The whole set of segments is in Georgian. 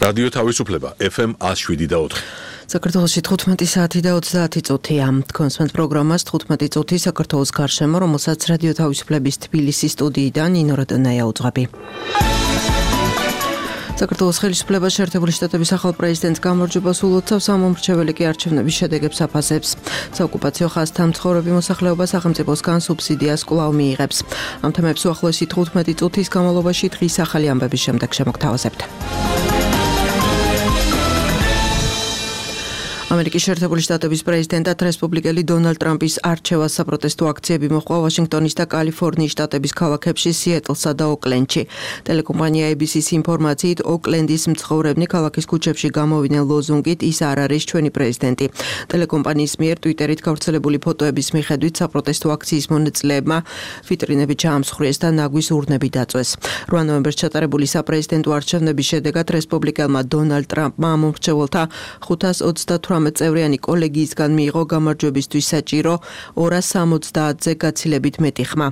რადიო თავისუფლება FM 107.4. საქართველოში 15 საათი და 30 წუთია. კონსვენთ პროგრამას 15 წუთი საქართველოს გარშემო, რომელსაც რადიო თავისუფლების თბილისის სტუდიიდან ნინო რატონაია უძღვები. საქართველოს ხელისუფლება შეერთებული შტატების ახალ პრეზიდენტს გამარჯვებას ულოცავს, ამომრჩეველი კი არჩევნების შედეგებს აფასებს. საოკუპაციო ხაზთან მცხოვრები მოსახლეობა სახელმწიფოსგან სუბსიდიას კვლავ მიიღებს. ამ თემებს უახლოესი 15 წუთის განმავლობაში დღის ახალი ამბების შემდეგ შემოგთავაზებთ. ამერიკის შეერთებული შტატების პრეზიდენტად რესპუბლიკელი დონალდ ტრამპის არჩევას საპროტესტო აქციები მოჰყვა ვაშინგტონის და კალიფორნიის შტატების ქალაქებში, სიეტლსა და ოკლენდში. ტელეკომპანია ABC-ს ინფორმაციით, ოკლენდის მცხოვრებნი ქალაქის ქუჩებში გამოვიდნენ ლოზუნგით „ის არ არის ჩვენი პრეზიდენტი“. ტელეკომპანიის მიერ ტვიტერით გავრცელებული ფოტოების მიხედვით საპროტესტო აქციის მონაწილეებმა ვიტრინები ჩაამსხვრიეს და ნაგვის ურნები დაწვეს. 8 ნოემბერს ჩატარებული საპრეზიდენტო არჩევნების შედეგად რესპუბლიკელმა დონალდ ტრამპმა ამომრჩეველთა 538 წევრიანი კოლეგიისგან მიიღო გამარჯვებისთვის საჭირო 270-ზე გაცილებით მეტი ხმა.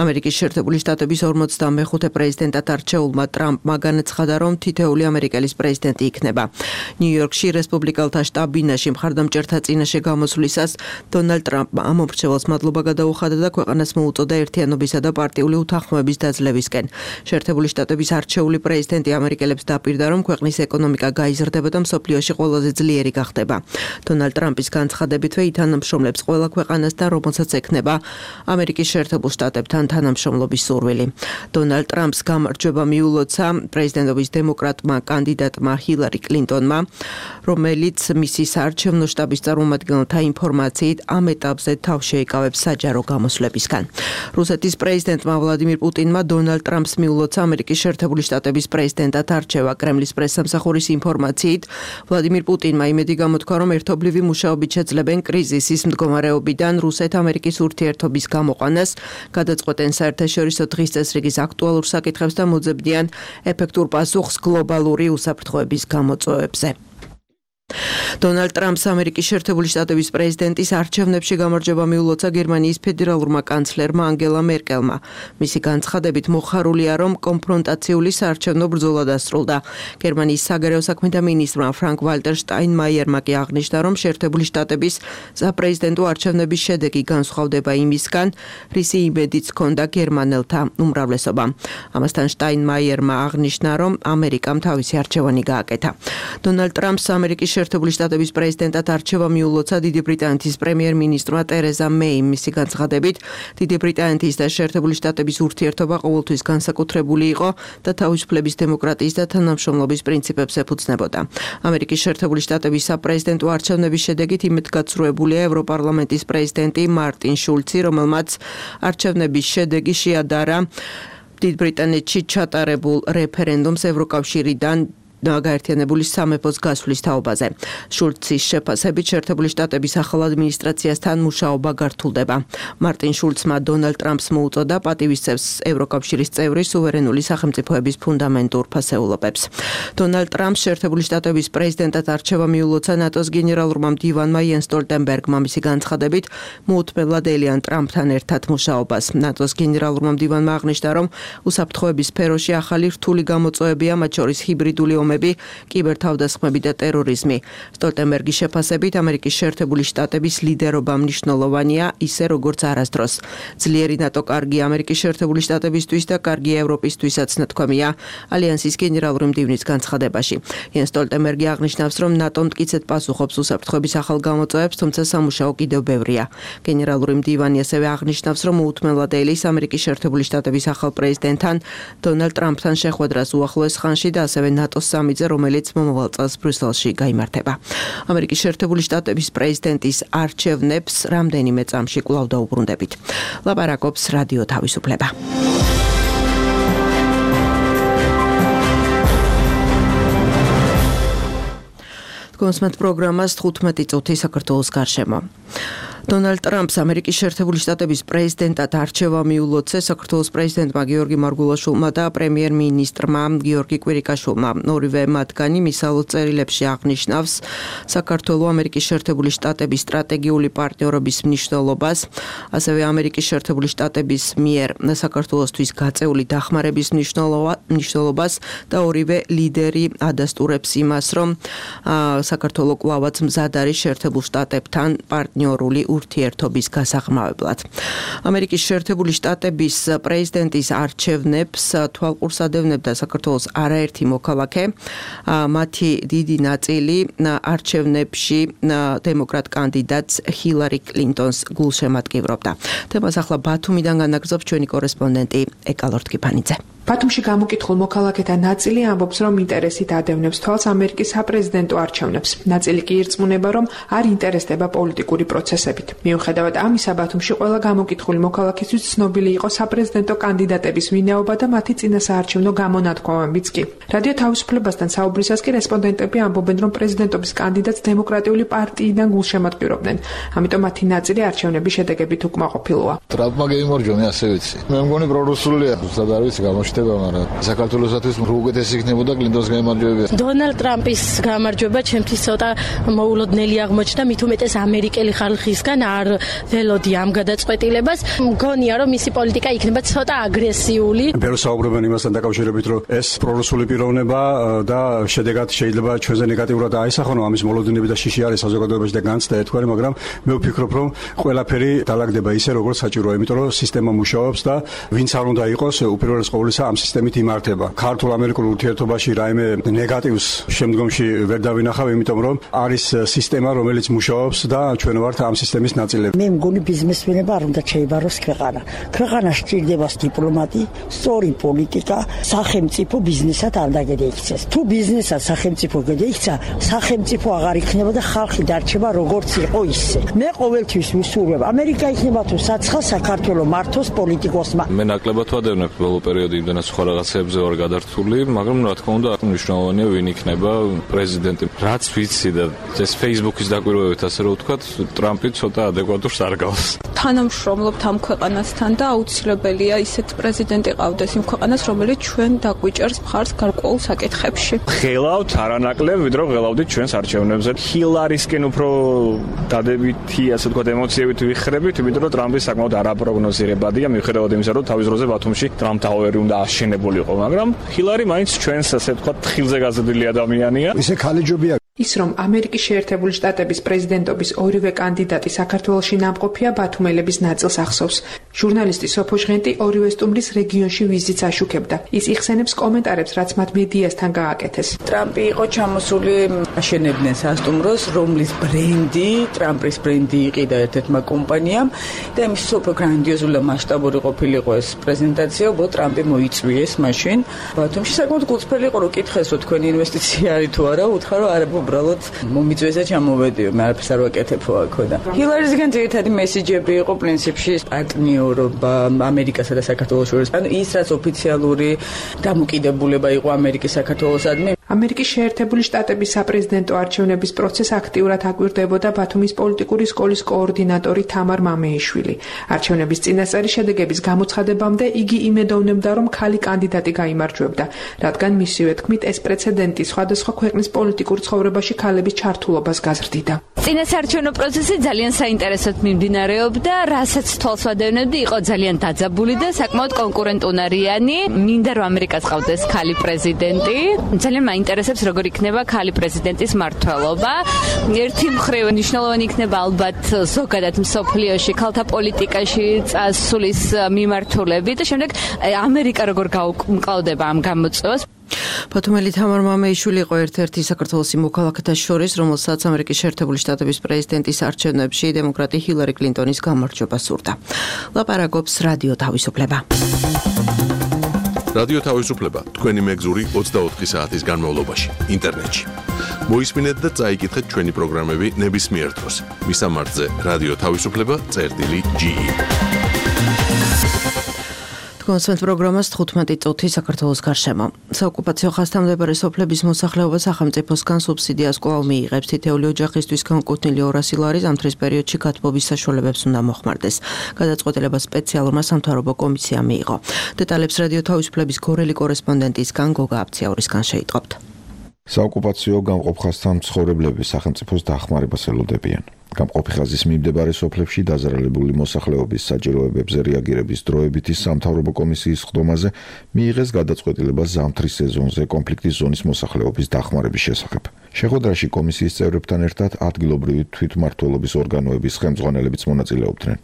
ამერიკის შეერთებული შტატების 45 პრეზიდენტად არჩეულმა ტრამპმა განაცხადა, რომ თითოეული ამერიკელის პრეზიდენტი იქნება. ნიუ-იორკში რესპუბლიკელთა შტაბ-ბინაში მხარდამჭერთა წინაშე გამოსვლისას დონალდ ტრამპმა ამომრჩეველს მადლობა გადაუხადა და ქვეყანას მოუწოდა ერთიანობისა და პარტიული უთანხმოების დაძლევისკენ. შეერთებული შტატების არჩეული პრეზიდენტი ამერიკელებს დაპირდა, რომ ქვეყნის ეკონომიკა გაიზრდება და მსოფლიოში ყველაზე ძლიერი გახდება. დონალდ ტრამპის განცხადებითვე ითანამშრომლებს ყველა ქვეყანას და რომელსაც ექნება ამერიკის შეერთებულ შტატებთან თანამშრომლობის სურვილი. დონალდ ტრამპს გამარჯვება მიულოცა პრეზიდენტობის დემოკრატმა კანდიდატმა ჰილარი კლინტონმა, რომელიც მისი საარჩევნო შტაბის წარმომადგენელთა ინფორმაციით ამ ეტაპზე თავს შეიკავებს საჯარო გამოსვლებისგან. რუსეთის პრეზიდენტმა ვლადიმირ პუტინმა დონალდ ტრამპს მიულოცა ამერიკის შეერთებული შტატების პრეზიდენტად არჩევა. კრემლის პრესსამსახურის ინფორმაციით, ვლადიმირ პუტინმა იმედი გამოთქვა, რომ ერთობლივი მუშაობით შეძლებენ კრიზისის მდგომარეობიდან რუსეთ-ამერიკის ურთიერთობის გამოყვანას, გადაწყვეტენ საერთაშორისო დღის წესრიგის აქტუალურ საკითხებს და მოძებნიან ეფექტურ პასუხს გლობალური უსაფრთხოების გამოწვევებზე. დონალდ ტრამპს ამერიკის შეერთებული შტატების პრეზიდენტის არჩევნებში გამარჯვება მიულოცა გერმანიის ფედერალურმა კანცლერმა ანგელა მერკელმა. მისი განცხადებით მოხარულია, რომ კონფრონტაციული საარჩევნო ბრძოლა დასრულდა. გერმანიის საგარეო საქმეთა მინისტრმა ფრანკ ვალტერ შტაინმაიერმა კი აღნიშნა, რომ შეერთებული შტატების საპრეზიდენტო არჩევნების შედეგი განსხვავდება იმისგან, რისი იმედიც ჰქონდა გერმანელთა უმრავლესობამ. ამასთან შტაინმაიერმა აღნიშნა, რომ ამერიკამ თავისი არჩევანი გააკეთა. დონალდ ტრამპს ამერიკის შეერთებული შტატების პრეზიდენტად არჩევა მიულოცა დიდი ბრიტანეთის პრემიერ-მინისტრმა ტერეზა მეიმ. მისი განცხადებით, დიდი ბრიტანეთის და შეერთებული შტატების ურთიერთობა ყოველთვის განსაკუთრებული იყო და თავისუფლების, დემოკრატიის და თანამშრომლობის პრინციპებს ეფუძნებოდა. ამერიკის შეერთებული შტატების საპრეზიდენტო არჩევნების შედეგით იმედგაცრუებულია ევროპარლამენტის პრეზიდენტი მარტინ შულცი, რომელმაც არჩევნების შედეგი შეადარა დიდ ბრიტანეთში ჩატარებულ რეფერენდუმს ევროკავშირიდან გაერთიანებული სამეფოს გასვლის თაობაზე. შულცის შეფასებით შეერთებული შტატების ახალ ადმინისტრაციასთან მუშაობა გართულდება. მარტინ შულცმა დონალდ ტრამპს მოუწოდა პატივისცემს ევროკავშირის წევრი სუვერენული სახელმწიფოების ფუნდამენტურ ფასეულობებს. დონალდ ტრამპს შეერთებული შტატების პრეზიდენტად არჩევა მიულოცა ნატოს გენერალურმა მდივანმა იენს სტოლტენბერგმა. მისი განცხადებით, მოუთმენლად ელიან ტრამპთან ერთად მუშაობას. ნატოს გენერალურმა მდივანმა აღნიშნა, რომ უსაფრთხოების სფეროში ახალი რთული გამოწვევებია, მათ შორის ჰიბრიდული კიბერთავდასხმები და ტერორიზმი. სტოლტენბერგის შეფასებით, ამერიკის შეერთებული შტატების ლიდერობა მნიშვნელოვანია, ისე როგორც არასდროს. ძლიერი ნატო კარგია ამერიკის შეერთებული შტატებისთვის და კარგია ევროპისთვისაც, ნათქვამია ალიანსის გენერალური მდივნის განცხადებაში. იენს სტოლტენბერგი აღნიშნავს, რომ ნატო მტკიცედ პასუხობს უსაფრთხოების ახალ გამოწვევებს, თუმცა სამუშაო კიდევ ბევრია. გენერალური მდივანი ასევე აღნიშნავს, რომ მოუთმენლად ელის ამერიკის შეერთებული შტატების ახალ პრეზიდენტთან დონალდ ტრამპთან შეხვედრას უახლოეს ხანში და ასევე ნატოს სამიძე, რომელიც მომავალ წელს ბრიუსელში გაიმართება. ამერიკის შეერთებული შტატების პრეზიდენტის არჩევნებს რამდენიმე წამში კვლავ დაუბრუნდებით. ლაპარაკობს რადიო თავისუფლება. კონსვენთ პროგრამას 15 წუთი საქართველოს გარშემო. დონალდ ტრამპს ამერიკის შეერთებული შტატების პრეზიდენტად არჩევა მიულოცა საქართველოს პრეზიდენტმა გიორგი მარგულაშვილმა და პრემიერ-მინისტრმა გიორგი კვირიკაშვილმა. ორივე მათგანი მისალო წერილებში აღნიშნავს საქართველოს ამერიკის შეერთებული შტატების სტრატეგიული პარტნიორობის მნიშვნელობას, ასევე ამერიკის შეერთებული შტატების მიერ საქართველოსთვის გაწეული დახმარების მნიშვნელობას და ორივე ლიდერი ადასტურებს იმას, რომ საქართველოს კვლავაც მზად არის შეერთებულ შტატებთან პარტნიორული ურთიერთობის გასაღრმავებლად. ამერიკის შეერთებული შტატების პრეზიდენტის არჩევნებს თვალყურს ადევნებდა საქართველოს არაერთი მოქალაქე. მათი დიდი ნაწილი არჩევნებში დემოკრატ კანდიდატს ჰილარი კლინტონს გულშემატკივრობდა. თემას ახლა ბათუმიდან განაგრძობს ჩვენი კორესპონდენტი ეკა ლორთქიფანიძე. ბათუმში გამოკითხულ მოქალაქეთა ნაწილი ამბობს, რომ ინტერესით ადევნებს თვალს ამერიკის საპრეზიდენტო არჩევნებს. ნაწილი კი ირწმუნება, რომ არ ინტერესდება პოლიტიკური პროცესებით. მიუხედავად ამისა, ბათუმში ყველა გამოკითხული მოქალაქისთვის ცნობილი იყო საპრეზიდენტო კანდიდატების ვინაობა და მათი წინასაარჩევნო გამონათქვამებიც კი. რადიო თავისუფლებასთან საუბრისას კი რესპონდენტები ამბობენ, რომ პრეზიდენტობის კანდიდატს დემოკრატიული პარტიიდან გულშემატკივრობდნენ. ამიტომ მათი ნაწილი არჩევნების შედეგებით უკმაყოფილოა. ტრამპმა გაიმარჯვა, მე ასე ვიცი. მე მგონი პრორუსულია, ზუსტად არ ვიცი გამოჩნდება, მაგრამ საქართველოსათვის უკეთესი იქნებოდა კლინტონს გაიმარჯვება. დონალდ ტრამპის გამარჯვება ჩემთვის ცოტა მოულოდნელი აღმოჩნდა, მით უმეტეს ამერიკელი ხალხისგან არ ველოდი ამ გადაწყვეტილებას. მგონია, რომ მისი პოლიტიკა იქნება ცოტა აგრესიული. ბევრს საუბრობენ იმასთან დაკავშირებით, რომ ეს პრორუსული პიროვნება და შედეგად შეიძლება ჩვენზე ნეგატიურად აისახონ, ამის მოლოდინები და შიში არის საზოგადოებაში და განცდა ერთგვარი, მაგრამ მე ვფიქრობ, რომ ყველაფერი დალაგდება ისე, როგორც საჭიროა, იმიტომ რომ სისტემა მუშაობს და ვინც არ უნდა იყოს, უპირველეს ყოვლისა ამ სისტემით იმართება. ქართულ-ამერიკულ ურთიერთობაში რაიმე ნეგატივს შემდგომში ვერ დავინახავ, იმიტომ რომ არის სისტემა, რომელიც მუშაობს და ჩვენ ვართ ამ სისტემის ნაწილები. მე მგონი ბიზნესმენებმა არ უნდა შეიბაროს ქვეყანა. ქვეყანა სჭირდება დიპლომატი, სწორი პოლიტიკა, სახელმწიფო ბიზნესად არ დაგეიქცეს. თუ ბიზნესად სახელმწიფო გადაიქცა, სახელმწიფო აღარ იქნება და ხალხი დარჩება როგორც იყო ისე. მე ყოველთვის ვისურვებ, ამერიკა იქნება თუ საცხა საქართველოს მართოს პოლიტიკოსმა. მე ნაკლებად ვადევნებ ბოლო პერიოდი იმდენად სხვა რაღაცებზე ვარ გადართული, მაგრამ რა თქმა უნდა მნიშვნელოვანია ვინ იქნება პრეზიდენტი. რაც ვიცი და ეს Facebook-ის დაკვირვებით ასე რომ ვთქვათ, ტრამპი ცოტა ადეკვატურს არ გავს. თანამშრომლობთ ამ ქვეყანასთან და აუცილებელია ისეთ პრეზიდენტი ყავდეს იმ ქვეყანას, რომელიც ჩვენ დაგვიჭერს მხარს გარკვეულ საკითხებში. ღელავთ არანაკლებ, ვიდრე ღელავდით ჩვენს არჩევნებზე. ჰილარისკენ უფრო დადებითი, ასე ვთქვათ, ემოციებით ვიხრებით, იმიტომ რომ ტრამპი საკმაოდ არაპროგნოზირებადია, მიუხედავად იმისა, რომ თავის დროზე ბათუმში ტრამპ ტაუერი უნდა აშენებულიყო, მაგრამ ჰილარი მაინც ჩვენს, ასე ვთქვათ, თხილზე გაზრდილი ადამიანია. ისე ქალიჯობია. ის რომ ამერიკის შეერთებული შტატების პრეზიდენტობის ორივე კანდიდატი საქართველოში ნამყოფია, ბათუმელების ნაწილს ახსოვს. ჟურნალისტი სოფო ჟღენტი ორივე სტუმრის რეგიონში ვიზიტს აშუქებდა. ის იხსენებს კომენტარებს, რაც მათ მედიასთან გააკეთეს. ტრამპი იყო ჩამოსული აშენებდნენ სასტუმროს, რომლის ბრენდი, ტრამპის ბრენდი იყიდა ერთ-ერთმა კომპანიამ და იმის უფრო გრანდიოზული მასშტაბური ყოფილიყო ეს პრეზენტაცია, უბრალოდ ტრამპი მოიწვიეს მაშინ. ბათუმში საკმაოდ გულწრფელი იყო, რომ კითხეს, რომ თქვენი ინვესტიცია არის თუ არა, უთხრა, რომ არა, უბრალოდ მომიწვიეს და ჩამოვედიო, მე არაფერს არ ვაკეთებო აქო და ჰილარისგან ძირითადი მესიჯები იყო პრინციპში პარტნიორობა ამერიკასა და საქართველოს შორის. ანუ ის რაც ოფიციალური დამოკიდებულება იყო ამერიკის საქართველოსადმი. ამერიკის შეერთებული შტატების საპრეზიდენტო არჩევნების პროცესს აქტიურად აკვირდებოდა ბათუმის პოლიტიკური სკოლის კოორდინატორი თამარ მამეიშვილი. არჩევნების წინასწარი შედეგების გამოცხადებამდე იგი იმედოვნებდა, რომ ქალი კანდიდატი გაიმარჯვებდა, რადგან მისივე თქმით ეს პრეცედენტი სხვადასხვა ქვეყნის პოლიტიკურ ცხოვრებაში ქალების ჩართულობას გაზრდიდა. წინასაარჩევნო პროცესი ძალიან საინტერესოდ მიმდინარეობდა, რასაც თვალს ვადევნებდი, იყო ძალიან დაძაბული და საკმაოდ კონკურენტუნარიანი. მინდა რომ ამერიკას ყავდეს ქალი პრეზიდენტი. ძალიან მაინტერესებს როგორ იქნება ქალი პრეზიდენტის მმართველობა. ერთი მხრივ მნიშვნელოვანი იქნება ალბათ ზოგადად მსოფლიოში ქალთა პოლიტიკაში წასulis მიმართულები და შემდეგ ამერიკა როგორ გაუმკლავდება ამ გამოწვევას. ბათუმელი თამარ მამეიშვილი იყო ერთ-ერთი საქართველოს მოქალაქეთა შორის, რომელსაც ამერიკის შეერთებული შტატების პრეზიდენტის არჩევნებში დემოკრატი ჰილარი კლინტონის გამარჯვება სურდა. ლაპარაკობს რადიო თავისუფლება. რადიო თავისუფლება თქვენი მეგზური 24 საათის განმავლობაში ინტერნეტში. მოისმინეთ და წაიკითხეთ ჩვენი პროგრამები ნებისმიერ დროს. მისამართზე რადიო თავისუფლება.ge მოსმენთ პროგრამას 15 წუთი საქართველოს გარშემო. საოკუპაციო ხასთამდებარე სოფლების მოსახლეობა სახელმწიფოსგან სუბსიდიას კვლავ მიიღებს. თითეული ოჯახისთვის განკუთვნილი 200 ლარი ზამთრის პერიოდში გათბობის საშუალებებს უნდა მოხმარდეს. გადაწყვეტილება სპეციალურმა სამთავრობო კომისიამ მიიღო. დეტალებს რადიო თავისუფლების გორელი კორესპონდენტისგან გოგა აფციაურისგან შეიტყობთ. საოკუპაციო გამყოფ ხაზთან მცხოვრებლები სახელმწიფოს დახმარებას ელოდებიან. გამყოფი ხაზის მიმდებარე სოფლებში დაზარალებული მოსახლეობის საჭიროებებზე რეაგირების დროებითი სამთავრობო კომისიის ხდომაზე მიიღეს გადაწყვეტილება ზამთრის სეზონზე კონფლიქტის ზონის მოსახლეობის დახმარების შესახებ. შეხვედრაში კომისიის წევრებთან ერთად ადგილობრივი თვითმმართველობის ორგანოების ხელმძღვანელებიც მონაწილეობდნენ,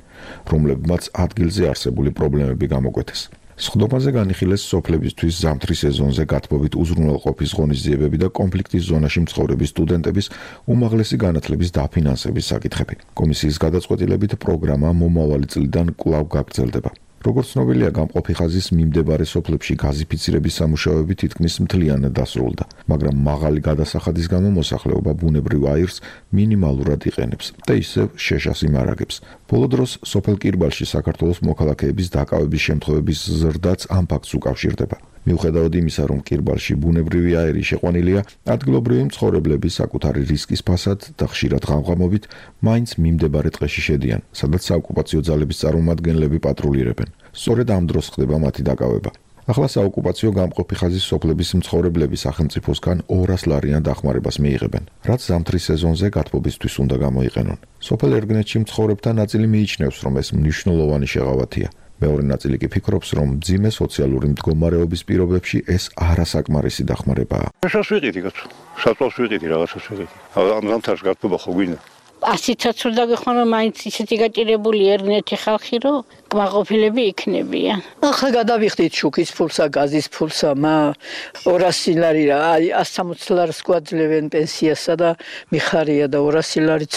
რომლებმაც ადგილზე არსებული პრობლემები გამოკვეთეს. სხდომაზე განიხილეს სოფლებისთვის ზამთრის სეზონზე გათბობით უზრუნველყოფის ღონისძიებები და კონფლიქტის ზონაში მცხოვრები სტუდენტების უმაღლესი განათლების დაფინანსების საკითხები. კომისიის გადაწყვეტილებით პროგრამა მომავალი წლიდან კვლავ გაგრძელდება. როგორც ცნობილია, გამყოფი ხაზის მიმდებარე სოფლებში გაზიფიცირების სამუშაოები თითქმის მთლიანად დასრულდა, მაგრამ მაღალი გადასახადის გამო მოსახლეობა ბუნებრივ აირს მინიმალურად იყენებს და ისევ შეშას იმარაგებს. ბოლო დროს სოფელ კირბალში საქართველოს მოქალაქეების დაკავების შემთხვევების ზრდაც ამ ფაქტს უკავშირდება. მიუხედავად იმისა, რომ კირბალში ბუნებრივი აირი შეყვანილია, ადგილობრივი მცხოვრებლები საკუთარი რისკის ფასად და ხშირად ღამღამობით მაინც მიმდებარე ტყეში შედიან, სადაც საოკუპაციო ძალების წარმომადგენლები პატრულირებენ. სწორედ ამ დროს ხდება მათი დაკავება. ახლა საოკუპაციო გამყოფი ხაზის სოფლების მცხოვრებლები სახელმწიფოსგან 200 ლარიან დახმარებას მიიღებენ, რაც ზამთრის სეზონზე გათბობისთვის უნდა გამოიყენონ. სოფელ ერგნეთში მცხოვრებთა ნაწილი მიიჩნევს, რომ ეს მნიშვნელოვანი შეღავათია. მეორე ნაწილი კი ფიქრობს, რომ მძიმე სოციალური მდგომარეობის პირობებში ეს არასაკმარისი დახმარებაა. შას ვიყიდი კაცო, საწოლს ვიყიდი რაღაცას ვიყიდი. ამ ზამთარს გათბობა ხო გვინდა? ასიცაც უნდა გიხონ, რომ მაინც ისეთი გაჭირებული ერგნეთი ხალხი, რომ კმაყოფილები იქნებიან. ახლა გადავიხდით შუქის ფულსა, გაზის ფულსა, 200 ლარი რა, აი 160 ლარს გვაძლევენ პენსიასა და მიხარია და 200 ლარიც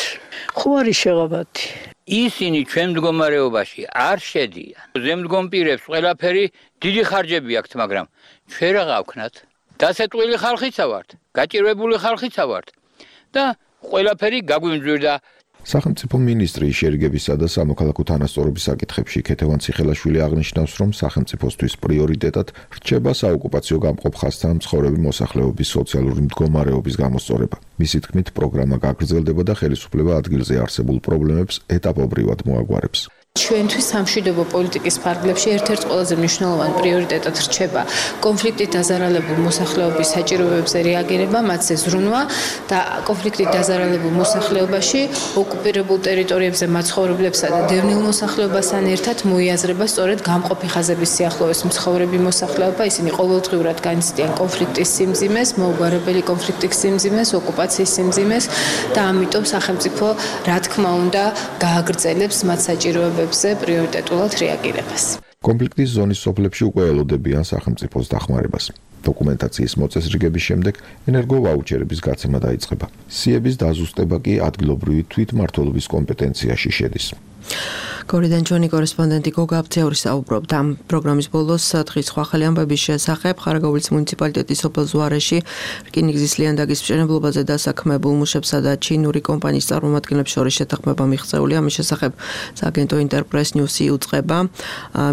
ხო არის შეღავათი. ისინი ჩვენ მდგომარეობაში არ შედიან. ზემდგომ პირებს ყველაფერი დიდი ხარჯები აქვთ, მაგრამ ჩვენ რა გავქნათ? დასეტყვილი ხალხიცა ვართ, გაჭირვებული ხალხიცა ვართ და ყველაფერი გაგვიმძვირდა. სახელმწიფო მინისტრი შერიგებისა და სამოქალაქო თანასწორობის საკითხებში ქეთევან ციხელაშვილი აღნიშნავს, რომ სახელმწიფოსთვის პრიორიტეტად რჩება საოკუპაციო გამყოფ ხაზთან მცხოვრები მოსახლეობის სოციალური მდგომარეობის გამოსწორება. მისი თქმით, პროგრამა გაგრძელდება და ხელისუფლება ადგილზე არსებულ პრობლემებს ეტაპობრივად მოაგვარებს. ჩვენთვის სამშვიდობო პოლიტიკის ფარგლებში ერთ-ერთ ყველაზე მნიშვნელოვანი პრიორიტეტად რჩება კონფლიქტით დაზარალებულ მოსახლეობის საჭიროებებზე რეაგირება, მათზე ზრუნვა და კონფლიქტით დაზარალებულ მოსახლეობაში ოკუპირებულ ტერიტორიებზე მაცხოვრებლებსა და დევნილ მოსახლეობასთან ერთად მოიაზრება სწორედ გამყოფი ხაზების სიახლოვეს მცხოვრები მოსახლეობა. ისინი ყოველდღიურად განიცდიან კონფლიქტის სიმძიმეს, მოუგვარებელი კონფლიქტის სიმძიმეს, ოკუპაციის სიმძიმეს და ამიტომ სახელმწიფო რა თქმა უნდა გააგრძელებს მათ საჭიროებებს პრიორიტეტულად რეაგირებას. კონფლიქტის ზონის სოფლებში უკვე ელოდებიან სახელმწიფოს დახმარებას. დოკუმენტაციის მოწესრიგების შემდეგ ენერგოვაუჩერების გაცემა დაიწყება. სიების დაზუსტება კი ადგილობრივი თვითმმართველობის კომპეტენციაში შედის. გორიდან ჩვენი კორესპონდენტი გოგა აფციაური საუბრობდა ამ პროგრამის ბოლოს დღის სხვა ახალი ამბების შესახებ ხარაგაულის მუნიციპალიტეტის სოფელ ზუარეში რკინიგზის ლიანდაგის მშენებლობაზე დასაქმებულ მუშებსა და ჩინური კომპანიის წარმომადგენლებს შორის შეთანხმება მიღწეული. ამის შესახებ სააგენტო ინტერპრეს ნიუსი უწყება.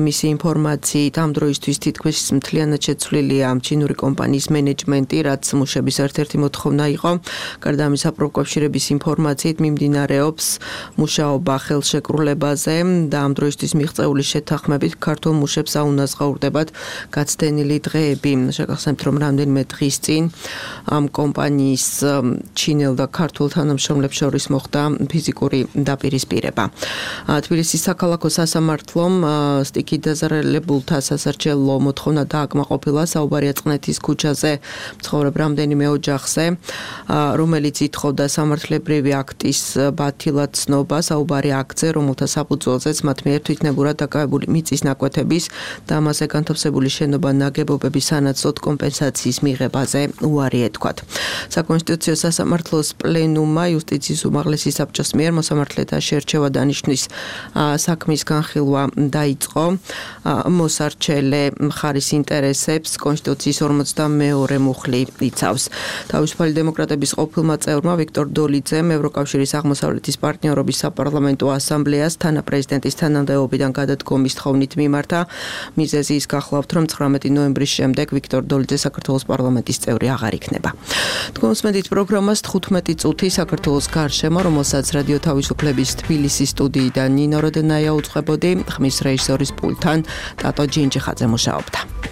მისი ინფორმაციით ამ დროისთვის თითქმის მთლიანად შეცვლილია ჩინური კომპანიის მენეჯმენტი, რაც მუშების ერთ-ერთი მოთხოვნა იყო. გარდა ამისა, პროკავშირების ინფორმაციით მიმდინარეობს მუშაობა ხელშეკრულებაზე და ამ დროისთვის მიღწეული შეთანხმებით ქართულ მუშებს აუნაზღაურდებათ გაცდენილი დღეები. შეგახსენებთ, რომ რამდენიმე დღის წინ ამ კომპანიის ჩინელ და ქართულ თანამშრომლებს შორის მოხდა ფიზიკური დაპირისპირება. თბილისის საქალაქო სასამართლომ სტიქით დაზარალებულთა სასარჩელო მოთხოვნა დააკმაყოფილა. საუბარია წყნეთის ქუჩაზე მცხოვრებ რამდენიმე ოჯახზე, რომელიც ითხოვდა სამართლებრივი აქტის ბათილად ცნობა. საუბარი აქტზე, რომელთა საფუძველზეც მათ მიერ თვითნებურად დაკავებული მიწის ნაკვეთების და ამაზე განთავსებული შენობა ნაგებობების სანაცვლოდ კომპენსაციის მიღებაზე უარი ეთქვათ. საკონსტიტუციო სასამართლოს პლენუმმა იუსტიციის უმაღლესი საბჭოს მიერ მოსამართლეთა შერჩევა დანიშვნის საქმის განხილვა დაიწყო. მოსარჩელე მხარის ინტერესებს კონსტიტუციის 42 მუხლი იცავს. თავისუფალი დემოკრატების ყოფილმა წევრმა ვიქტორ დოლიძემ ევროკავშირის აღმოსავლეთის პარტნიორობის საპარლამენტო ასამბლეას თანაპრეზიდენტ პრეზიდენტის თანამდებობიდან გადადგომის თხოვნით მიმართა. მიზეზი ის გახლავთ, რომ 19 ნოემბრის შემდეგ ვიქტორ დოლიძე საქართველოს პარლამენტის წევრი აღარ იქნება. თქვენს მედით პროგრამას 15 წუთი საქართველოს გარშემო, რომელსაც რადიო თავისუფლების თბილისის სტუდიიდან ნინო როდენაია უწყებოდი, ხმის რეჟისორის პულტთან ტატო ჯინჯიხაძე მუშაობდა.